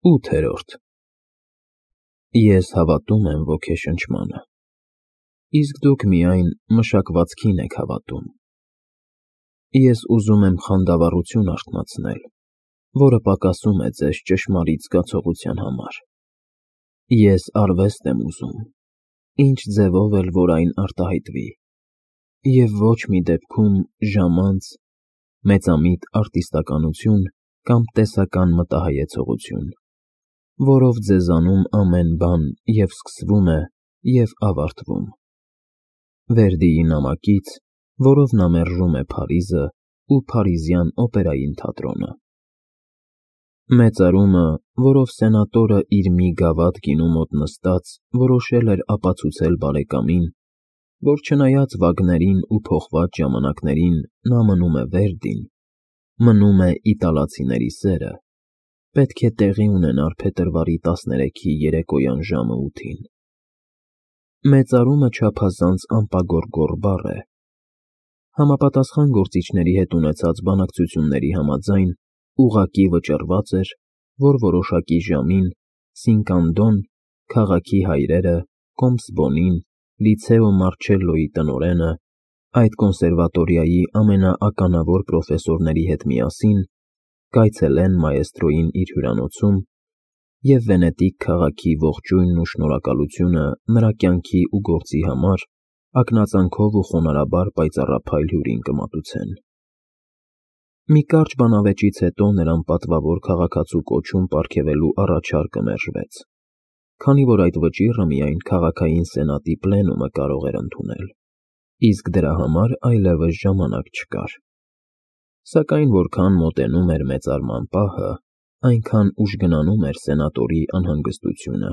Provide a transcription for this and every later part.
8-րդ Ես հավատում եմ ոգեշնչմանը, իսկ դուք միայն մշակվածքին եք հավատում։ Ես ուզում եմ խանդավառություն արթնացնել, որը պակասում է ձեզ ճշմարիտ զգացողության համար։ Ես արվեստ եմ ուզում, ինչ ձևով էլ որ այն արտահայտվի, և ոչ մի դեպքում ժամանց, մեծամիտ արտիստականություն կամ տեսական մտահայեցողություն, որով ձեզանում ամեն բան և սկսվում է, և ավարտվում։ Վերդիի նամակից, որով նա մերժում է Փարիզը ու Փարիզյան օպերային թատրոնը։ Մեծարումը, որով սենատորը իր մի գավաթ գինու մոտ նստած որոշել էր ապացուցել բարեկամին, որ չնայած վագներին ու փոխված ժամանակներին նա մնում է Վերդին, մնում է իտալացիների սերը, պետք է տեղի ունենար փետրվարի 13-ի երեկոյան ժամը 8-ին։ Մեծարումը չափազանց անպագորգոր բառ է։ Համապատասխան գործիչների հետ ունեցած բանակցությունների համաձայն ուղղակի վճռված էր, որ որոշակի ժամին Սինկանդոն, քաղաքի հայրերը, Կոմսբոնին, Լիցեո Մարչելլոյի տնօրենը, այդ կոնսերվատորիայի ամենաականավոր պրոֆեսորների հետ միասին կայցելեն մաեստրոյին իր հյուրանոցում և Վենետիկ քաղաքի ողջույնն ու շնորհակալությունը նրա կյանքի ու գործի համար ակնածանքով ու խոնարհաբար պայծառափայլ հյուրին կմատուցեն։ Մի կարճ բանավեճից հետո նրան պատվավոր քաղաքացու կոչում պարգևելու առաջարկը մերժվեց, քանի որ այդ վճիռը միայն քաղաքային սենատի պլենումը կարող էր ընդունել, իսկ դրա համար այլևս ժամանակ չկար։ Սակայն որքան մոտենում էր մեծարման պահը, այնքան ուժգնանում էր սենատորի անհանգստությունը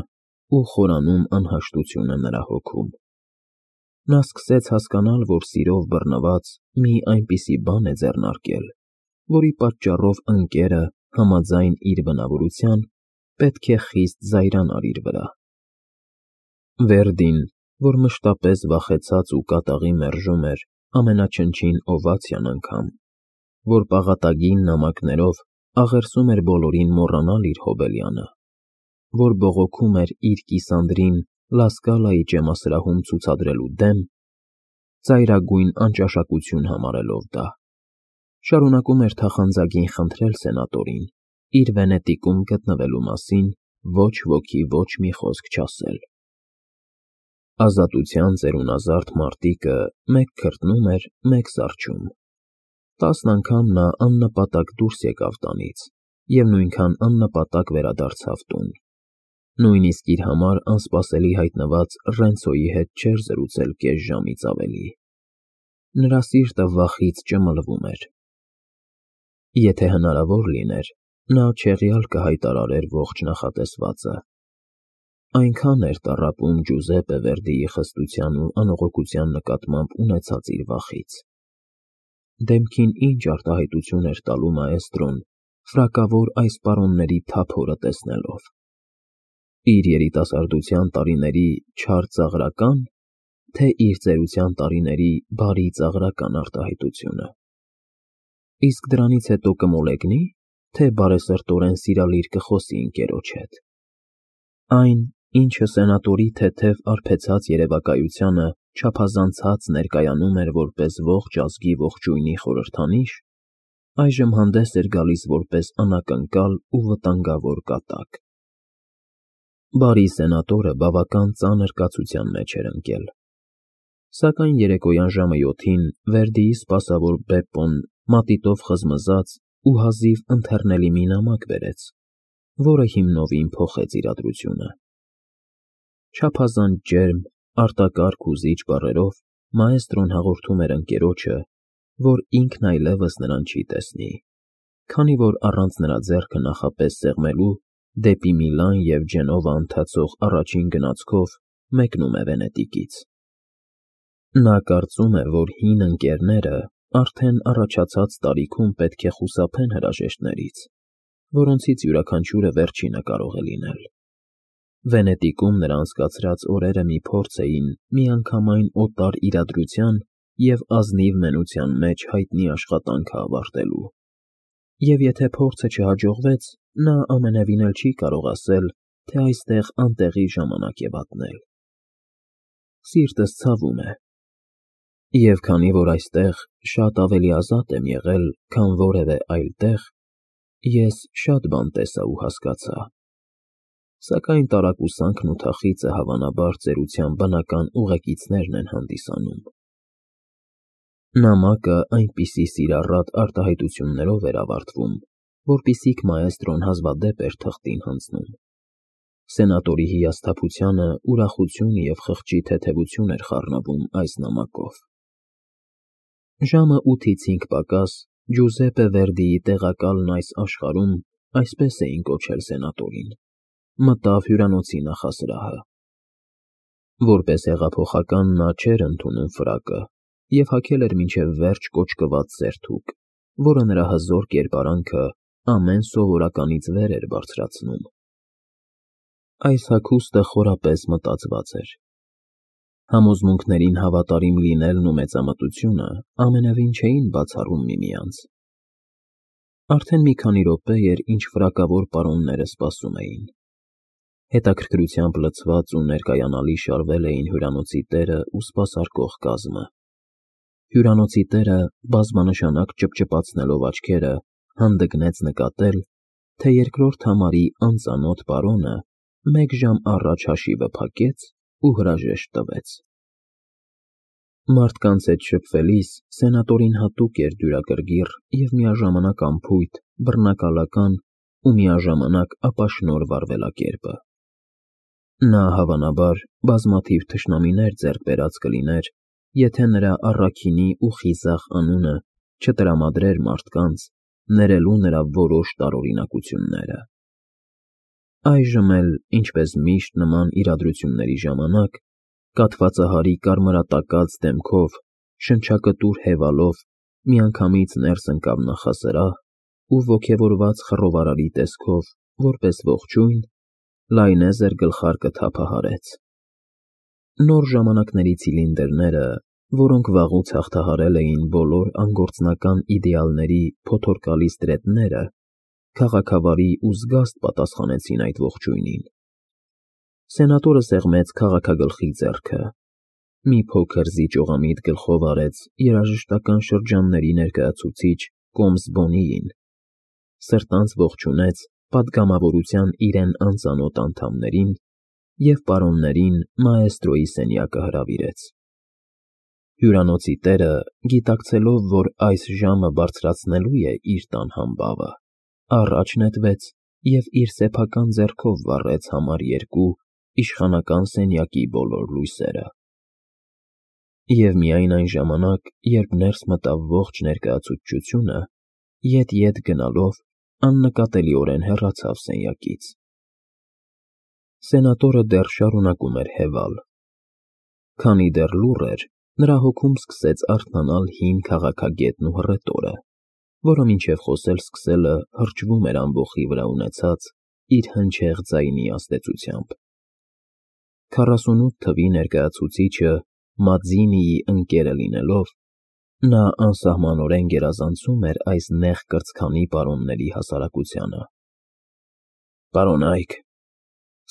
ու խորանում անհաշտությունը նրա հոգում։ Նա սկսեց հասկանալ, որ սիրով բռնված մի այնպիսի բան է ձեռնարկել, որի պատճառով ընկերը, համաձայն իր բնավորության, պետք է խիստ զայրանար իր վրա։ Վերդին, որ մշտապես վախեցած ու կատաղի մերժում էր ամենաչնչին օվացիան անգամ, որ պաղատագին նամակներով աղերսում էր բոլորին մոռանալ իր Հոբելյանը, որ բողոքում էր իր կիսանդրին Լա Սկալայի ճեմասրահում ցուցադրելու դեմ, ծայրագույն անճաշակություն համարելով դա, շարունակում էր թախանձագին խնդրել սենատորին իր Վենետիկում գտնվելու մասին ոչ ոքի ոչ մի խոսք չասել։ Ազատության ծերունազարդ մարտիկը մեկ քրտնում էր, մեկ զառչում։ 10 անգամ նա աննպատակ դուրս եկավ տանից և նույնքան աննպատակ վերադարձավ տուն։ Նույնիսկ իր համար անսպասելի հայտնված Ռենցոյի հետ չէր զրուցել կես ժամից ավելի։ Նրա սիրտը վախից ճմլվում էր։ Եթե հնարավոր լիներ, նա չեղյալ կհայտարարեր ողջ նախատեսվածը։ Այնքան էր տառապում Ջուզեպպե Վերդիի խստության ու անողոքության նկատմամբ ունեցած իր վախից։ Դեմքին ինչ արտահայտություն էր տալու մաեստրոն ֆրակավոր այս պարոնների թափ հորը տեսնելով։ Իր երիտասարդության տարիների չար ծաղրակա՞ն, թե իր ծերության տարիների բարի ծաղրական արտահայտությունը։ Իսկ դրանից հետո կմոլեգնի՞, թե բարեսրտորեն սիրալիր կխոսի ընկերոջ հետ։ Այն, ինչը սենատորի թեթև արբեցած երևակայությանը չափազանցած ներկայանում էր որպես ողջ ազգի ողջույնի խորհրդանիշ, այժմ հանդես էր գալիս որպես անակնկալ ու վտանգավոր կատակ։ Բարի սենատորը բավական ծանր կացության մեջ էր ընկել։ Սակայն երեկոյան ժամը 7-ին Վերդիի սպասավոր Բեպպոն մատիտով խզմզաց ու հազիվ ընթեռնելի մի նամակ բերեց, որը հիմնովին փոխեց իրադրությունը։ Չափազանց ջերմ, արտակարգ ու զիջ բառերով մաեստրոն հաղորդում էր ընկերոջը, որ ինքն այլևս նրան չի տեսնի, քանի որ առանց նրա ձեռքը նախապես սեղմելու դեպի Միլան և Ջենովա ընթացող առաջին գնացքով մեկնում է Վենետիկից։ Նա կարծում է, որ հին ընկերները արդեն առաջացած տարիքում պետք է խուսափեն հրաժեշտներից, որոնցից յուրաքանչյուրը վերջինը կարող է լինել։ Վենետիկում նրա անցկացրած օրերը մի փորձ էին միանգամայն օտար իրադրության և ազնիվ մենության մեջ հայտնի աշխատանքը ավարտելու։ Եվ եթե փորձը չհաջողվեց, նա ամենևին էլ չի կարող ասել, թե այստեղ անտեղի ժամանակ է վատնել։ Սիրտս ցավում է։ Եվ քանի որ այստեղ շատ ավելի ազատ եմ եղել, քան որևէ այլ տեղ, ես շատ բան տեսա ու հասկացա։ Սակայն տարակուսանքն ու թախիծը հավանաբար ծերության բնական ուղեկիցներն են հանդիսանում։ Նամակը այնպիսի սիրառատ արտահայտություններով էր ավարտվում, որպիսիք մաեստրոն հազվադեպ էր թղթին հանձնում։ Սենատորի հիասթափությանը ուրախություն և խղճի թեթևություն էր խառնվում այս նամակով։ Ժամը 8-ից 5 պակաս Ջուզեպպե Վերդիի տեղակալն այս աշխարհում, այսպես էին կոչել սենատորին, մտավ հյուրանոցի նախասրահը։ Որպես հեղափոխական նա չէր ընդունում ֆրակը և հագել էր մինչև վերջ կոճկված սերթուկ, որը նրա հզոր կերպարանքը ամեն սովորականից վեր էր բարձրացնում։ Այս հագուստը խորապես մտածված էր։ Համոզմունքներին հավատարիմ լինելն ու մեծամտությունը ամենևին չէին բացառում միմյանց։ Արդեն մի քանի րոպե էր, ինչ ֆրակավոր պարոնները սպասում էին։ Հետաքրքրությամբ լցված ու ներկայանալի շարվել էին հյուրանոցի տերը ու սպասարկող կազմը։ Հյուրանոցի տերը, բազմանշանակ ճպճպացնելով աչքերը, հանդգնեց նկատել, թե երկրորդ համարի անծանոթ պարոնը մեկ ժամ առաջ հաշիվը փակեց ու հրաժեշտ տվեց։ Մարդկանց հետ շփվելիս սենատորին հատուկ էր դյուրակրգիռ և միաժամանակ անփույթ, բռնակալական ու միաժամանակ ապաշնորհ վարվելակերպը։ Նա, հավանաբար, բազմաթիվ թշնամիներ ձեռք բերած կլիներ, եթե նրա առաքինի ու խիզախ անունը չտրամադրեր մարդկանց, ներելու նրա որոշ տարօրինակությունները։ Այժմ էլ, ինչպես միշտ նման իրադրությունների ժամանակ, կաթվածահարի կարմրատակած դեմքով, շնչակտուր հևալով, միանգամից ներս ընկավ նախասրահ ու ոգևորված խռովարարի տեսքով, որպես ողջույն, լայնեզր գլխարկը թափահարեց։ Նոր ժամանակների ցիլինդրները, որոնք վաղուց հաղթահարել էին բոլոր անգործնական իդեալների փոթորկալի ստրետները, քաղաքավարի ու զգաստ պատասխանեցին այդ ողջույնին։ Սենատորը սեղմեց քաղաքագլխի ձեռքը, մի փոքր զիջողամիտ գլխով արեց երաժշտական շրջանների ներկայացուցիչ Կոմս Բոնիին, սրտանց ողջունեց պատգամավորության իրեն անծանոթ անդամներին և պարոններին մաեստրոյի սենյակը հրավիրեց։ Հյուրանոցի տերը, գիտակցելով, որ այս ժամը բարձրացնելու է իր տան համբավը, առաջ նետվեց և իր սեփական ձեռքով վառեց համար 2 իշխանական սենյակի բոլոր լույսերը։ Եվ միայն այն ժամանակ, երբ ներս մտավ ողջ ներկայացուցչությունը, ետ գնալով, աննկատելիորեն հեռացավ սենյակից։ Սենատորը դեռ շարունակում էր հևալ։ Քանի դեռ լուռ էր, նրա հոգում սկսեց արթնանալ հին քաղաքագետն ու հռետորը, որը մինչև խոսել սկսելը հրճվում էր ամբոխի վրա ունեցած իր հնչեղ ձայնի ազդեցությամբ։ 48 թվի ներկայացուցիչը Մածինիի ընկերը լինելով, նա անսահմանորեն գերազանցում էր այս նեղ կրծքանի պարոնների հասարակությանը։ «Պարոնայք,֊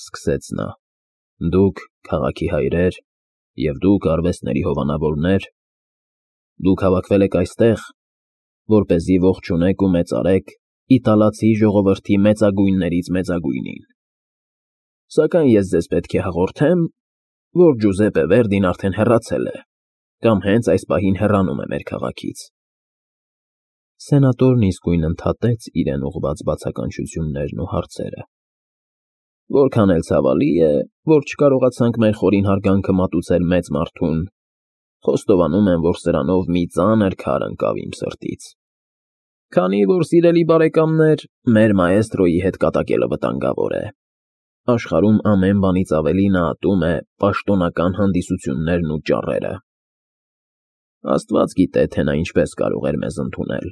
սկսեց նա,֊ դուք քաղաքի հայրեր և դուք արվեստների հովանավորներ, դուք հավաքվել եք այստեղ, որպեսզի ողջունեք ու մեծարեք իտալացի ժողովրդի մեծագույններից մեծագույնին։ Սակայն ես ձեզ պետք է հաղորդեմ, որ Ջուզեպպե Վերդին արդեն հեռացել է կամ հենց այս պահին հեռանում է մեր քաղաքից»։ Սենատորն իսկույն ընդհատեց իրեն ուղղված բացականչություններն ու հարցերը։ «Որքան էլ ցավալի է, որ չկարողացանք մեր խորին հարգանքը մատուցել մեծ մարդուն, խոստովանում եմ, որ սրանով մի ծանր քար ընկավ իմ սրտից։ Քանի որ, սիրելի բարեկամներ, մեր մաեստրոյի հետ կատակելը վտանգավոր է։ Աշխարհում ամեն բանից ավելի նա ատում է պաշտոնական հանդիսություններն ու ճառերը։ Աստված գիտե, թե նա ինչպես կարող էր մեզ ընդունել»։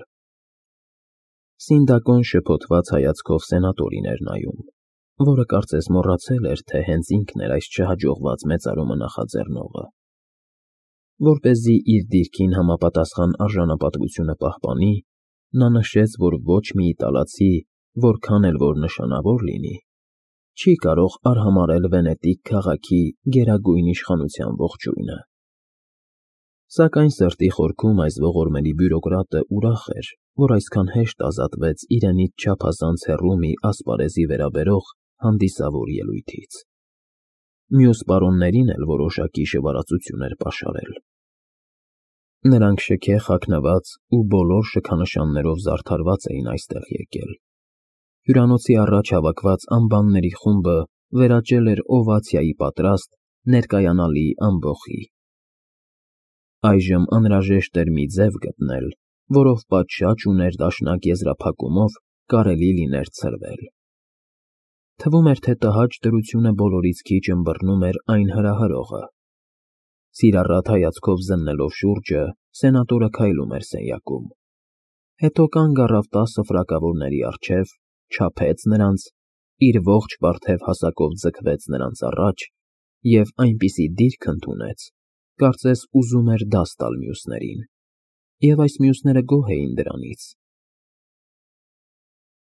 Սինդակոն շփոթված հայացքով սենատորին էր նայում, որը կարծես մոռացել էր, թե հենց ինքն էր այս չհաջողված մեծարումը նախաձեռնողը։ Որպեսզի իր դիրքին համապատասխան արժանապատվությունը պահպանի, նա նշեց, որ ոչ մի իտալացի որքան էլ որ նշանավոր լինի, չի կարող արհամարհել Վենետիկ քաղաքի գերագույն իշխանության ողջույնը։ Սակայն սրտի խորքում այս ողորմելի բյուրոկրատը ուրախ էր, որ այսքան հեշտ ազատվեց իրենից չափազանց հեռու մի ասպարեզի վերաբերող հանդիսավոր ելույթից։ Մյուս պարոններին էլ որոշակի շվարածություն էր պաշարել։ Նրանք շքեղ հագնված ու բոլոր շքանշաններով զարդարված էին այստեղ եկել։ Հյուրանոցի առաջ հավաքված անբանների խումբը վերաճել էր օվացիայի պատրաստ, ներկայանալի ամբոխի։ Այժմ անհրաժեշտ էր մի ձև գտնել, որով պատշաճ ու ներդաշնակ եզրափակումով կարելի լիներ ցրվել։ Թվում էր, թե տհաճ դրությունը բոլորից քիչ ըմբռնում էր այն հրահրողը։ Սիրառատ հայացքով զննելով շուրջը, սենատորը քայլում էր սենյակում։ Հետո կանգ առավ 10 ֆրակավորների առջև, չափեց նրանց, իր ողջ պարթև հասակով ձգվեց նրանց առաջ և այնպիսի դիրք ընդունեց, կարծես ուզում էր դաս տալ մյուսներին, և այս մյուսները գոհ էին դրանից,